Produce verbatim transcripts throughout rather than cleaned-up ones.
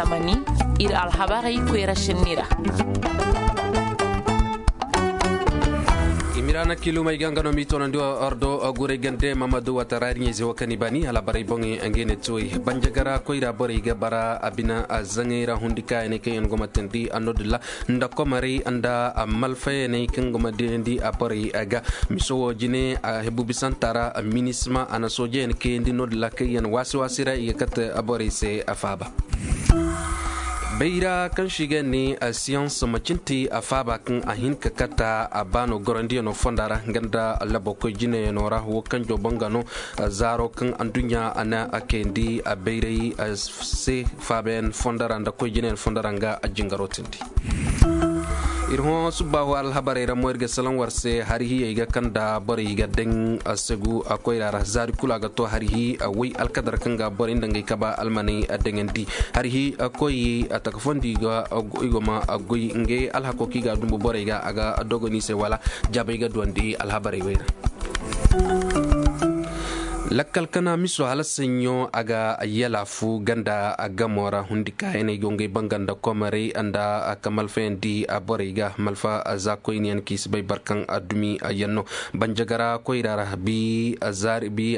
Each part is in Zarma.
Tamani, iri alhabarey koyra senni ra. Imiraana kilumey ga nga no m'i toonandi wo ardo guray gande mamadu watara iri ɲayze wo kaŋ i bani alhabarey boŋey nga ne tuwey banjagara koyra borey ga bara a bina a zaŋey ra hundi kaayaney kaŋ yaŋ go ma tindi annoodilla nda komarey nda malfayaney kaŋ go ma deenandi a borey ga miso wo jine a hebu bisanta ra minisma a na soojeyaŋ kayandi noodilla kaŋ yaŋ waasi waasi ra i ga kate borey se a faaba. Bayra kaŋ se i ga ne siyans macinti a faaba kaŋ a hin ka kata a baano gorandiyano fonda ra nga nda labokoy jinayano ra wo kanjo boŋ ga no zaaro kaŋ anduɲɲa a na a kayandi a bayray se faabayaŋ fonda ra nda koy jinayaŋ fonda ra nga a jingaro tindi. Iri hõ subbaahu alhabarey ra mo iri ga salaŋ war se hari hiyey ga kaŋ da borey ga daŋ segu koyra ra zaari kulu a ga to hari hi way alkadar kaŋ ga borey nda ngey kaba almaney daŋandi. Hari hi koy taka fondi i go ma goy ngey alhako kaŋ i ga dumbu borey ga a ga dogon i se wala jaabey ga duwandi alhabarey wey ra. Lakkal kana miso hala saɲɲo a ga yala fu ganda gamo ra hundi kaayaney go ngey banganda komarey nda ka malfayandi borey ga malfa za koyne yaŋ kaŋ i si bay barkaŋ dumi yaŋ no. Banjagara koyra ra bi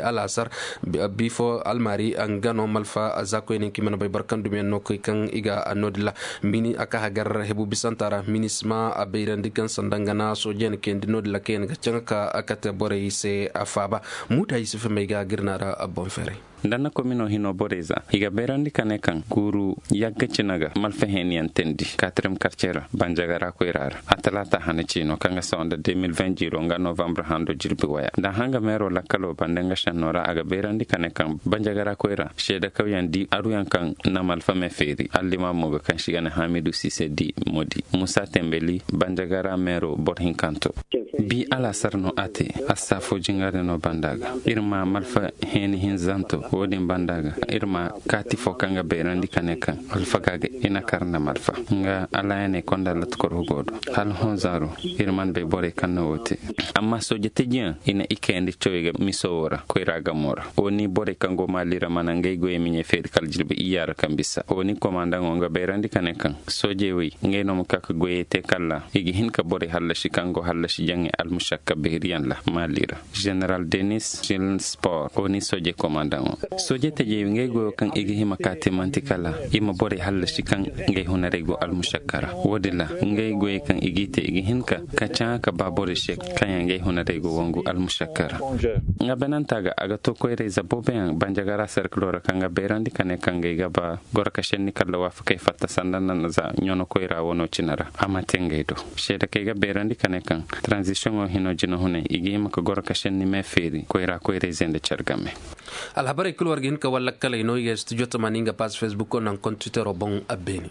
alaasar bi fo almaari nga no malfa za koyne yaŋ kaŋ i mana bay barkaŋ dumi yaŋ no koy kaŋ i ga noodin ra. Mini a ka hagar hebu bisanta ra minisma a bayrandi kaŋ sanda nga na soojeyaŋ kayandi noodin ra kaŋ yaŋ ga caŋ ka kate borey se a faaba. Muuda yusufu may ga girna ra boŋ feeray. Nda na komino hino borey za i ga bayrandi ka ne kaŋ kuuru yagga cina ga malfa heeni yaŋ teendi kaatirim karce ra banjagara koyra ra a talaata hana ciino kaŋ ga sawa nda deux mille vingt jiiro nga novambre hando jirbi waya nda hanga meero lakkalo banda nga senno ra a ga bayrandi ka ne kaŋ banjagara koyra seedakaw yaŋ di aru yaŋ kaŋ na malfa me feeri allimaamo ga kaŋ se i ga ne hamidu siise di modi musa tembeli banjagara meero boro hinkanto. Bi alaasar no a te assaafo jingare no banda ga iri ma malfa heeni hinzanto wo- din banda ga iri ma kaati fo kaŋ ga bayrandi ka ne kaŋ alfaga ga i na kar nda malfa nga alaayaney konda latkor hugo do hala hõ zaaro iri mana bay borey kaŋ na wo te. Amma sooje tajiyaŋ i na i kayandi cawey ga miso wo ra koyra gamo ra wo ni borey kaŋ go maali ra mana ngey goyey ma ɲey feeri kala jirbi iyya ra kaŋ bisa wo ni komandaŋo nga bayrandi ka ne kaŋ soojey wey ngey no ma ka ga goyey te kala i ga hin ka borey hallasi kaŋ go hallasi jaŋey almusakka beeriyaŋ ra maali ra. Zeneral denis silspor wo ni sooje komandaŋo sooje tajey ngey goyo kaŋ i ga hima ka te manti kala i ma borey hallasi kaŋ ngey hunarey go almusakka ra wo- din ra ngey goyey kaŋ i g'i te i ga hin ka ka caŋa ka ba borey se kaŋ yaŋ ngey hunarey go wangu almusakka ra. Nga bananta ga a ga to koyrayze booboyaŋ banjagara serkilo ra kaŋ ga bayrandi ka ne kaŋ ngey ga ba goro ka senni kala waafakey fatta sanda nda na za ɲono koyra wano cine ra a ma te ngey do. Seeda kaŋ ay ga beerandi ka ne kaŋ tranzisiyoŋo hino jinahuney i ga hima ka goro ka senni me feeri koyra koyrayzey nda care game. Alhabarey kulu war ga hin ka wallakkaley no i ga studio tamaani nga paas facebook naŋ kontitero boŋ a beeni.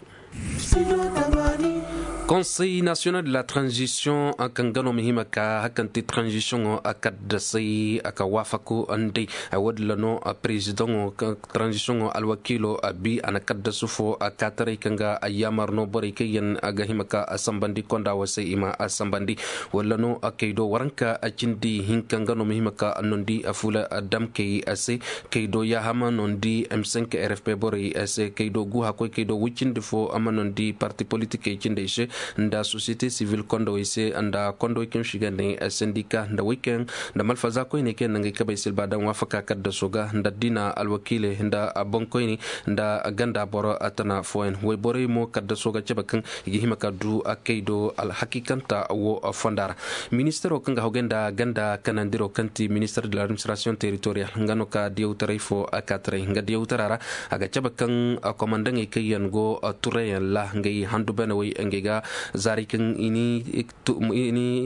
Konsey nasiyonal de la tranzisiyoŋ kaŋ ga no ma hima ka hakanti tranzisiyoŋo kaddasay ka waafaku nd'ey. Wo- din ra no perezidaŋo tranzisiyoŋo alwakiilo a bi a na kaddasu fo kaataray kaŋ ga yaamar no borey kaŋ yaŋ ga hima ka sambandi konda wo se i ma sambandi. Wala no kaydo waranka cindi hinka nga no ma hima ka nondi fuula damkey se. Kaydo yaahama nondi m cinq r f p borey se kaydo gu hakkoy kaydo wi cindi fo ma nondi parti politikey cindey se nda société civile kondowey se nda kondowey kaŋ si ga ne sendika nda wey kaŋ nda malfaza koyney kaŋ yaŋ na ngey kabey silba daŋ waafaka kaddaso ga nda addina alwakiiley nda boŋkoyney nda ganda boro tana fooyaŋ wayborey mo kaddaso ga cabe kaŋ i ga hima ka du kaydo alhakiikanta wo fonda ra. Ministaro kaŋ ga hawgay nda ganda kanandiro kaŋ ti ministar de l'administration territorial nga no ka diyawtaray fo kaataray nga diyawtara ra. A ga cabe kaŋ komandaŋey kaŋ yaŋ go tureyaŋ ra ngey handu banawey ngey ga zaaray kaŋ i ni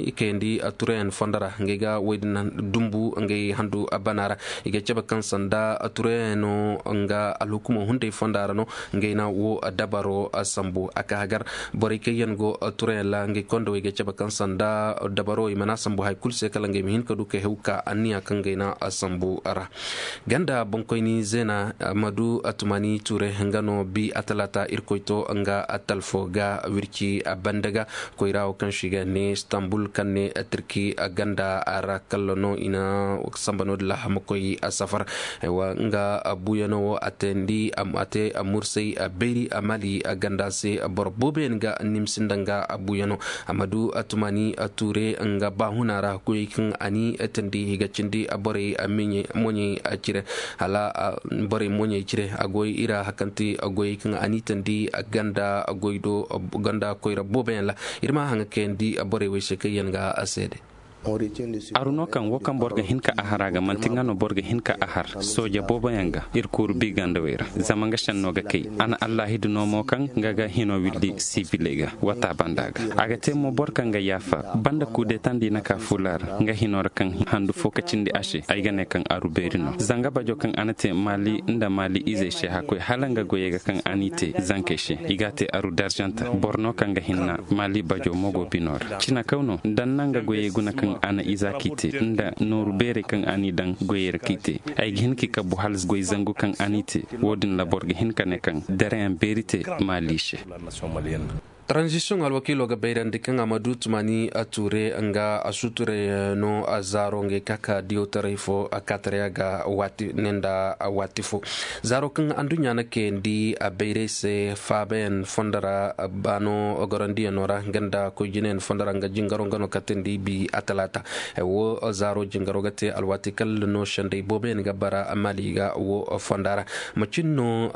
i kayandi tureyaŋ fonda ra ngey ga woy din dumbu ngey handu bana ra. I ga cabe kaŋ sanda tureyaŋo nga alhukumo hunday fonda ra no ngey na wo dabaro sambu a ka hagar borey kaŋ yaŋ go tureyaŋ ra ngey kondowey ga cabe kaŋ sanda dabaro i mana sambu hari kulu se kala ngey ma hin ka du ka hew ka anniya kaŋ ngey na sambu ra. Ganda boŋkoyni zeena ma du tumani ture nga no bi a talaata irkoy to nga talfo ga wirci. banda ga. Koyra wo kaŋ se i ga ne Istanbul kaŋ ne Turki ganda ra kala no i na samba no- din ra hama koy safar. Aywa, nga buuyano wo a teendi a te mursay beeri a Mali ganda se. Boro boobo yaŋ ga nimsi nda nga buuyano. Amadu Tumani Ture nga baahuna ra koyey kaŋ a ni teendi i ga cindi borey moɲey cire. Hala borey moɲey cire a goy i ra hakanti goyey kaŋ a ni teendi ganda goy do ganda koyra boobo yaŋ ra. Iri ma haŋ ga kayandi borey wey se kaŋ yaŋ ga a seede. Aru no kaŋ wo kaŋ boro ga hin ka a har a ga manti nga no boro ga hin ka a har sooja boobo yaŋ ga iri kuuru bi ganda wey ra. Zama nga senno ga kay a na allahidu no mo kaŋ nga ga hino willi sibiley ga wata banda ga a ga te mo boro kaŋ ga yaafa banda kuudeeta nda i na ka fuula ra nga hino ra kaŋ handu fo ka cindi a se ay ga ne kaŋ aru beeri no zanga bajo kaŋ a na te maali nda maali izey se hakkoy hala nga goyey ga kaŋ a n'i te zankey se i ga a te aru darzanta boro no kaŋ ga hinna maali bajo mo go bino ra cina kaw no da nanga goyey guna kaŋ a na iza k'i te nda nooru beerey kaŋ a n'i daŋ goyey ra k'i te. Ay ga hin k'i kabu hala goy zangu kaŋ a n'i te wo- din ra boro ga hin ka ne kaŋ dareyaŋ beeri te maali se. Transition alwakiilo ga bayrandi kaŋ a ma du tumani a tuure nga a suturay no a zaaro ngey ka ka diyawtaray fo a kaataray a ga waati ne nda waati fo. Zaaro kaŋ anduɲɲa na kayandi a bayray se faabayaŋ fondo ra baano gorondiyaŋo ra nga nda koy jinayaŋ fondo ra nga jingaro nga no kaatandi bi a talaata. Wo zaaro jingaro ga te alwaati kala no senday booboyaŋ ga bara maali ga wo fonda ra. Macin no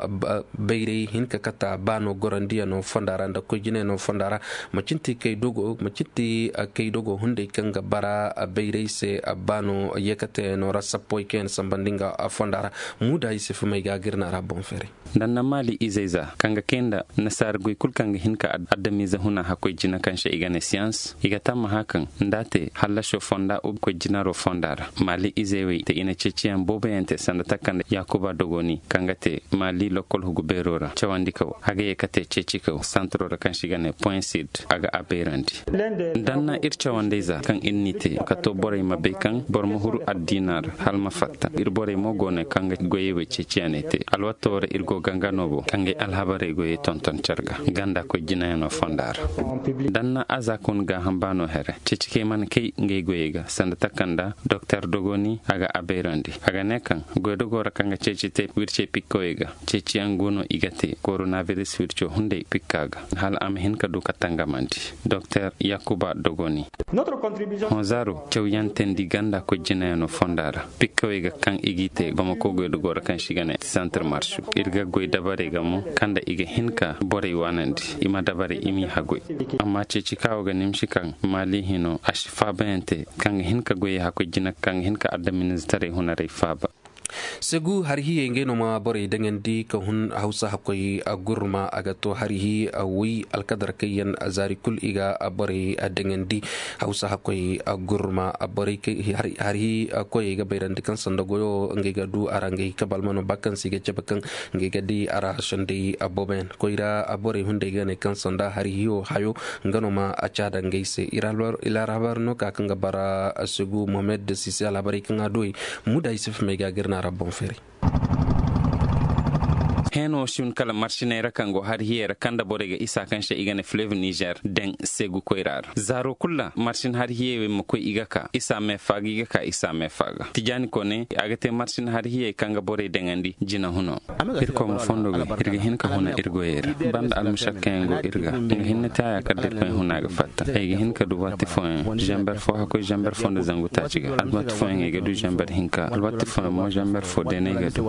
bayray hinka kata baano gorondiyaŋo fonda ra nda koy jinayaŋo fonda ra. Macin ti kay dogo macin ti kay dogo hunday kaŋ ga bara bayray se baano yeekatayaŋo ra sappoy kaŋ yaŋ sambandi nga fonda ra. Muuda yusuf may ga ga iri naara boŋ feeray. Nda na maali izey za kaŋ ga kay nda nasaara goy kulu kaŋ ga hin ka adamize huna hakkoy jina kaŋ se i ga ne siyans i ga tammaha kaŋ nda a te hallaso fonda ubkoy jinaro fonda ra. Maali izey wey te i na ceeciyaŋ booboyaŋ te sanda takanda yaakuba dogoni kaŋ ga te maali lokkol hugu beero ra cawandi kaw a ga ye ka te ceeci kaw santaro ra kaŋ se i ga ne point sid a ga a beerandi. Danna iri cawandey za kaŋ iri n'i te ka to borey ma bay kaŋ boro ma huru addiina ra hala ma fatta iri borey mo go no kaŋ ga goyey wey ceeciyaŋey te alwatto ra iri go ganga no bo kaŋ ga ay alhabarey goyey tonton care ga ganda koy jinayaŋo fonda ra. Danna a za kun gaaham baano here ceeci kay mana kay ngey goyey ga sanda takanda doktor dogoni a ga a bayrandi a ga ne kaŋ goydogo ra kaŋ ga ceeci te wircey pikkawey ga ceeciyaŋ go no i ga te koronabiris wirco hunday pikka ga hala a ma hin ka du ka tangamandi. Doktor yakuba dogoni. Honzaro cawyantendi ganda koy jinayaŋo fonda ra pikkawey ga kaŋ i g'i te bamako goy da goro kaŋ si ga ne santir marsu iri ga goy dabarey ga mo kaŋ da i ga hin ka borey waanandi i ma dabarey i m'i hagoy. Amma ceeci kaawo ga nimsi kaŋ maali hino a si faabayante kaŋ ga hin ka goyey hakoy jina kaŋ ga hin ka adda ministarey hunarey faaba. Segu hari hiyey ngey no ma borey daŋandi ka hun hawsa hakkoy gurma a ga to hari hi woy alkadar kaŋ yaŋ zaari kulu i ga borey daŋandi. Hawsa hakkoy gurma borey hari hi koyey ga bayrandi kaŋ sanda goyo ngey ga du a ra ngey kabal mano ba kaŋ se i ga cabe kaŋ ngey ga di a ra sandey boobo yaŋ koyra borey hunday ga ne kaŋ sanda hari hiyo hayo nga no ma a ca da ngey se. Iri alhabar no ka kaŋ ga bara segu mohammed sisi alhabarey kaŋ a doy. Muda yusuf may ga ga iri na rabban feeray. Heno sun kala marsiney ra kaŋ go hari hiyey ra kaŋ da borey ga isa kaŋ se i ga ne fleuve niger daŋ segu koyra ra zaaro kulu ra marsin hari hiyey wey ma koy i ga ka isa me faaga i ga ka isa me faaga tijaani kone a ga te marsin hari hiyey kaŋ ga borey daŋandi jina huno. Irkoy ma fondo ga iri ga hin ka huna iri goyey ra banda almusak kaŋ yaŋ go iri ga nga hinne te haya kala da irkoy huna ga fatta ay ga hin ka du waati fooyaŋ zamber fo hakkoy zamber fo nda zangu taaci ga alwaati fooyaŋ ay ga du zamber hinka alwaati fooyaŋ mo zamber fo day no ay ga du.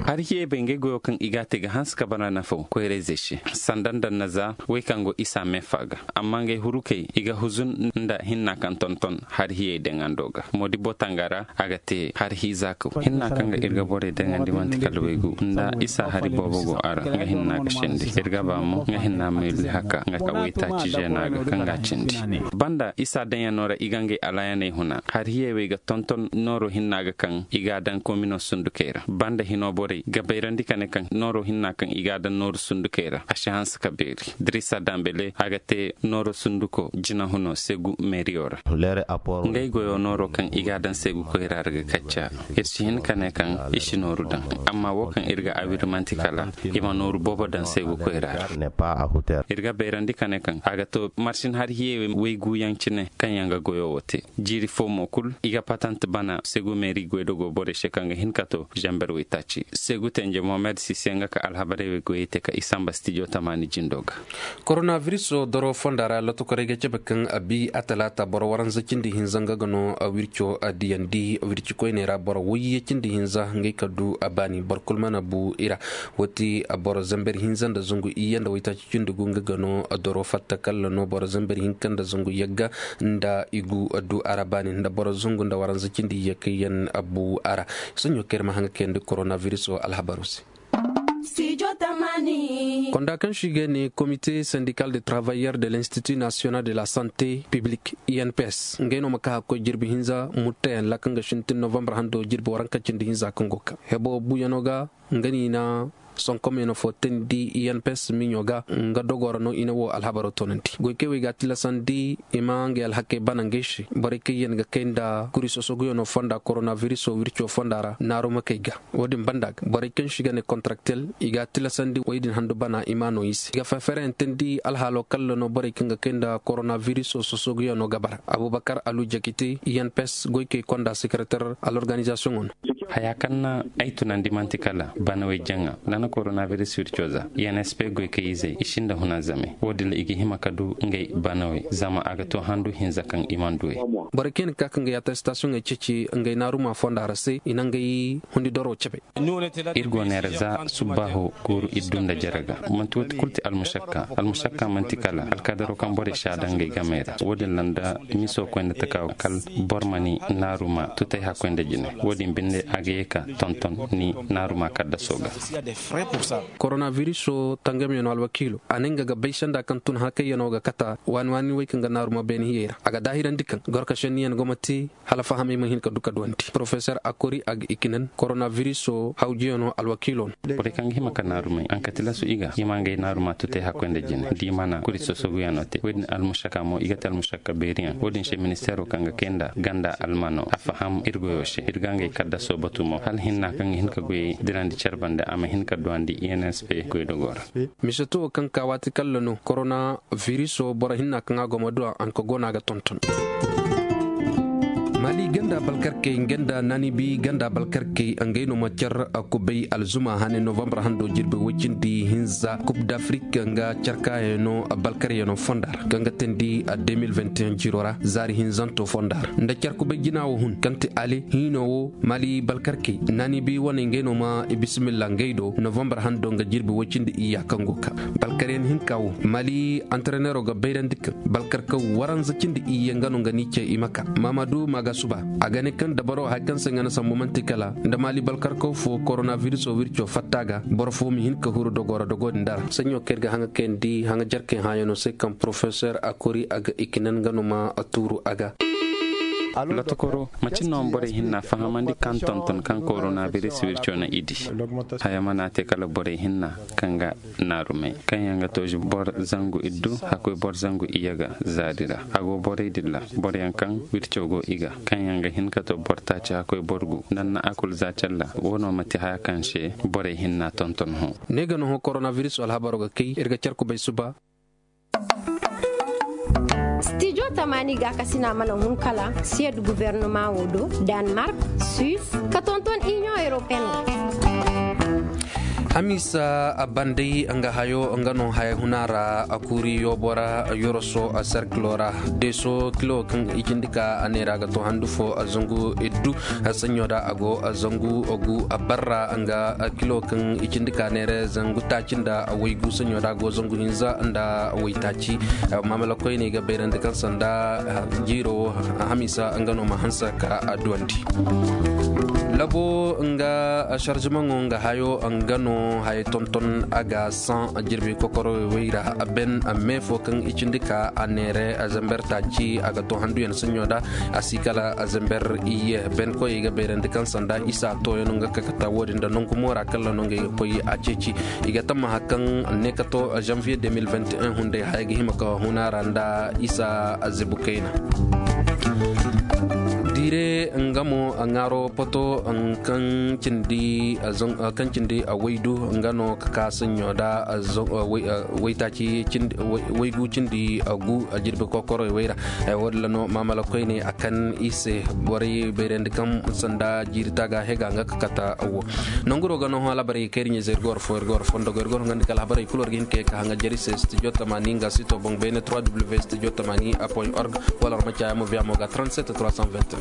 Hari hiyey bay ngey goyo kaŋ i ga a te ga hanse ka bana nafaw koyrayzey se sanda nda na za wey kaŋ go isa me fa ga amma ngey hurukey i ga huzun nda hinna kaŋ tonton hari hiyey daŋando ga moodi botanga ra a ga te hari hiiza kaw hinna kaŋ ga iri ga borey daŋandi manti kala waygu nda isa hari boobo go a ra nga hinna ga sendi iri ga ba mo nga hinna ma yulli haka nga ka waytaaci zeena ga kaŋ ga a cindi. Banda isa daŋyaŋo ra i ga ngey alaayaney huna hari hiyey wey ga tonton nooro hinna ga kaŋ i ga a daŋ komino sundukey ra banda hino borey ga bayrandi ka ne kaŋ nooro Hinna kaŋ i ga a daŋ nooru sundukey ra a si hanse ka beeri. Dirisa dambele a ga te nooro sunduko jinahuno seegu meeriyo ra. Ngey goyo nooro kaŋ i ga a daŋ seegu koyra ra ga kacca. Iri si hin ka ne kaŋ i si nooru daŋ, amma wo kaŋ iri ga awiri manti kala i ma nooru boobo daŋ seegu koyra ra. Iri ga bayrandi ka ne kaŋ a ga to marsin hari hiye waygu yaŋ cine kaŋ yaŋ ga goyo wo te. Jiiri fo mo kulu i ga patant bana seegu meeri goydogo borey se kaŋ ga hin ka to zamber waytaaci. Seegu tenje mohamed sise nga ka alhabarey wo goyey te ka i samba stijo tamaani jindo ga. Koronabiriso doro fonda ra lotokorey ga cabe kaŋ a bi a talaata boro waranza cindi hinza nga ga no a wirco a diyandi wirci koyney ra boro wayye cindi hinza ngey ka du a baani boro kulu mana bu i ra. Wo ti boro zamber hinza nda zangu iyye nda waytaaci cindi gu nga ga no a doro fatta kala no boro zamber hinka nda zangu yagga nda i gu a du a ra baani nda boro zangu nda waranza cindi iyye kaŋ yaŋ a bu a ra. Sanyo kaŋ iri ma haŋ ga kayandi koronabiriso alhabaro se. Konda kaŋ si ga ne comité syndical de travailleurs de l'institut national de la santé publique inps ngey no ma ka hakkoy jirbi hinza murtayaŋ lakan ga sintin novembre hando jirbi waranka cindi hinza kaŋ go ka hebo buyano ga nga ni na sonkomey no fo teendi inps miɲo ga nga dogo ra no i na wo alhabaro toonandi goykey wo i ga a tilasandi i ma ngey alhakey bana ngey se borey kaŋ yaŋ ga kay nda kuri sosoguyaŋo fonda koronabiriso wirco fonda ra naarumakey ga. Wo-din banda ga borey kaŋ si ga ne kontraktel i ga a tilasandi wo-din handu bana i ma no i se i ga fay-fayrayaŋ teendi alhaalo kalla no borey kaŋ ga kay nda koronabiriso sosoguyaŋo ga bara abubakar alu jakite inps goykey konda sekreter a l'organisation no. Haya kaŋ na ay tunandi manti kala banawey jaŋa nda na koronabiriso wirco za i n s p goy ka izey i sinda hunanzamey wo-din ra i ga hima ka du ngey banawey zama a ga to handu hinza kaŋ i mana du ey. Borey kaŋ yaŋ ga ka ka ngey attestasiyoŋey ceeci ngey naaruma fonda ra se i na ngey hundi doro cabe. Iri go neera za subbaaho guuru iddu nda jere ga manti wati kulu ti almusakka almusakka manti kala alkadaro kaŋ borey si a daŋ ngey gamey ra wo-din ra nda miso koy nda taka kala boro ma ni naaruma tutay hakkoy nda jine wo-din binde a ga ye ka tonton ni naaruma kaddaso ga. Koronabiriso tangamyaŋo alwakiilo a ne nga ga bay sanda kaŋ tun hakayyaŋo ga kata waani waani way kaŋ ga naaruma beene hiyey ra a ga daahirandi kaŋ gorkasenniyaŋ go ma te hala fahamey ma hin ka du ka duwandi porofesor akori a ga i ka nan koronabiriso hawjiyaŋo alwakiilo no. Borey kaŋ ga hima ka naarumey ankatilasu i ga i ma ngey naaruma tutay hakkoy nda jine da i mana kuri sosoguyaŋo te wo-din almusaka mo i ga te almusaka beeriyaŋ wo-din se ministeero kaŋ ga kay nda ganda almano a faham iri goyo se iri ga ngey kaddaso batu mo hala hinna kaŋ ga hin ka goyey dirandi care banda a ma hin ka duwandi i n s p goydogo ra. Mise to kaŋ ka waati kalla no korona viriso boro hinna kaŋ a go ma du a nga ka go no a ga tonton. Mali ganda balkarkey nga nda nanibi ganda balkarkey ngey no ma care a kubay alzuma hane novembre hando jirbi way cindi hinza coupe d'afrique nga care kaŋ a no balkaryaŋo fonda ra kaŋ ga teendi deux mille vingt et un jiro ra zaari hinzanto fonda ra nda care kubay jina wo hun kaŋ ti ale hiino wo mali balkarkey nanibi wane ngey no ma i bisimilla ngey do novembre hando nga jirbi way cindi iyya kaŋ go ka balkaryaŋ hinka wo mali antrenero ga bayrandi kaŋ balkarkaw waranza cindi iyye nga no nga ni ce i ma ka mamadu magasuba a ga ne kaŋ dabaro hari kaŋ se nga na sambu manti kala nda mali balkarkaw fo koronaviriso wirco fatta ga boro fo ma hin ka huru dogora dogo din dara saɲo kaŋ iri ga haŋa kayandi haŋa jarkay hayaŋo se kaŋ porofesor a kori a ga i ka nan nga no ma a tuuru a ga. Lotokoro manti no borey hinna fahamandi kaŋ tonton kaŋ koronabiris wirco na i di. Haya mana te kala borey hinna kaŋ ga naarumey kaŋ yaŋ ga tooji boro zangu iddu hakkoy boro zangu iyye ga zaari ra a go borey dilla boro yaŋ kaŋ wirco go i ga kaŋ yaŋ ga hin ka to boro taaci hakkoy boro gu nanna a kulu za calla. Wo no ma ti haya kaŋ se borey hinna tonton hõ. Ne ga no hõ koronabiris alhabaro ga kay iri ga care kubay suba. Stijo tamaani gaakasina mana hun kala siyad gubernama wo do danmark, suisse ka tonton union européenne wo. Hamisa a banday nga hayo nga no haya huna ra a kuuri yoobora yoroso a serkilo ra deso kilo kaŋ i cindi ka a neera ga to handu fo a zangu iddu a saɲo da a go a zangu gu a barra nga kilo kaŋ i cindi ka neera zangu taaci nda a waygu saɲo da a go zangu hinza nda waytaaci. Mamala koyne ga bayrandi kaŋ sanda jiiro wo hamisa nga no ma hansa ka a duwandi. Labo nga chargement ŋo nga hayo nga no Hayey tonton a ga saŋ jirbi kokoro wayra ben me fo kaŋ i cindi ka a neere zember taaci a ga to handuyaŋ saɲɲo da a si kala zember iyye ben koyey ga bayrandi kaŋ sanda isa toyaŋ no nga kakata wo-din da nangu moora kala no nga ga koy a ceeci. I ga tammaha kaŋ ne ka to janvier deux mille vingt et un hunday haya ga hima ka huna ra nda isa zibu kayna. Diire nga mo ŋaaro pato kaŋ cindi waydu nga no ka ka saɲɲo da waytaaci waygu cindi gu jirbi kokoroy wayra. Wo-din ra no maamala koyne a kan i se borey bayrandi kaŋ sanda jiiri taaga hega nga ka kata wo. Nanguro ga no hõ alhabarey kaŋ iri ɲayze iri ga war fo iri ga war fondo go iri ga war hungandi kala habarey kulu war ga hin ka ye ka haŋa jari se studio tamani nga sito boŋ beene trois w studio tamani a point org. Wala war ma caya mo biya mo ga trente-sept trois cent vingt et un.